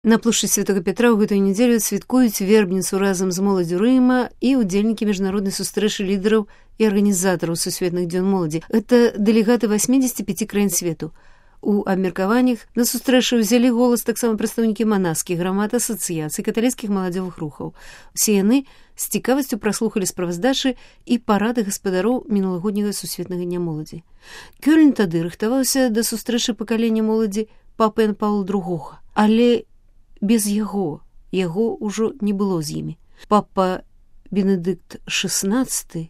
На плошчы Святого Петра ў гэтую нядзелю святкуюць вербніцу разам з моладдзю Рыма і ўдзельнікі міжнароднай сустрэчы лідараў і арганізатараў сусветных дзён моладзі. Гэта дэлегаты 85 краін свету. У абмеркаваннях на сустрэчы ўзялі голас таксама прадстаўнікі манаскіх грамад, асацыяцый, каталіцкіх маладзёвых рухаў. Усе яны з цікавасцю праслухалі справаздачы і парады гаспадароў мінулагодняга сусветнага дня моладзі. Кёльн тады рыхтаваўся да сустрэчы пакалення моладзі папы Яна Паўла II, але без яго ўжо не было з імі. Папа Бенедыкт XVI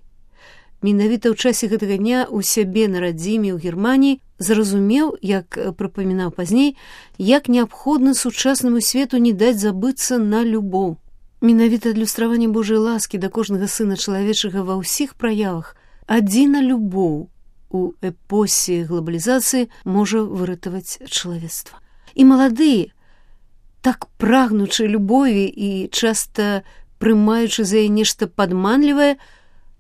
менавіта ў часе гэтага дня у сябе на радзіме ў Германіі зразумеў, як прыпамінаў пазней, як неабходна сучаснаму свету не даць забыцца на любоў. Менавіта адлюстраванне Божай ласкі да кожнага сына чалавечага ва ўсіх праявах адзіна любоў у эпосе глобалізацыі можа выратаваць чалавецтва. І маладыя, так прагнучы любові і часта прымаючы за яе нешта падманлівае,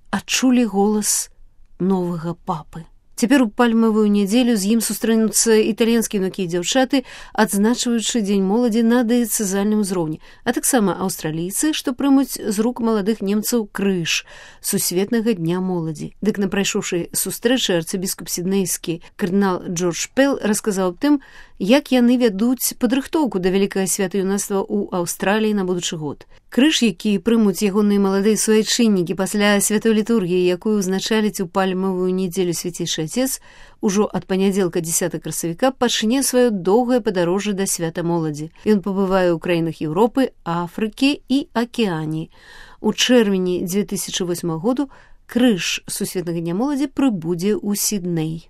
адчулі голас новага папы. Цяпер у пальмавую нядзелю з ім сустрэнуцца італьянскія юнакі і дзяўчаты, адзначваючы дзень моладзі на дыяцэзальным узроўні, а таксама аўстралійцы, што прымуць з рук маладых немцаў крыж сусветнага дня моладзі. Дык на прайшоўшай сустрэчы арцыбіскуп сіднейскі кардынал Джордж Пэл расказаў аб тым, як яны вядуць падрыхтоўку да вялікага свята юнацтва ў Аўстраліі на будучы год. Крыж, які прымуць ягоныя маладыя суайчыннікі пасля святой літургіі, якую ўзначаліць у пальмавую нядзелю свяцейшы Отец, ужо ад панядзелка 10 красавіка пачне сваё доўгае падарожжа да свята моладзі. Ён пабывае ў краінах Еўропы, Афрыкі і Акеаніі. У чэрвені 2008 году крыж сусветнага дня моладзі прыбудзе ў Сідней.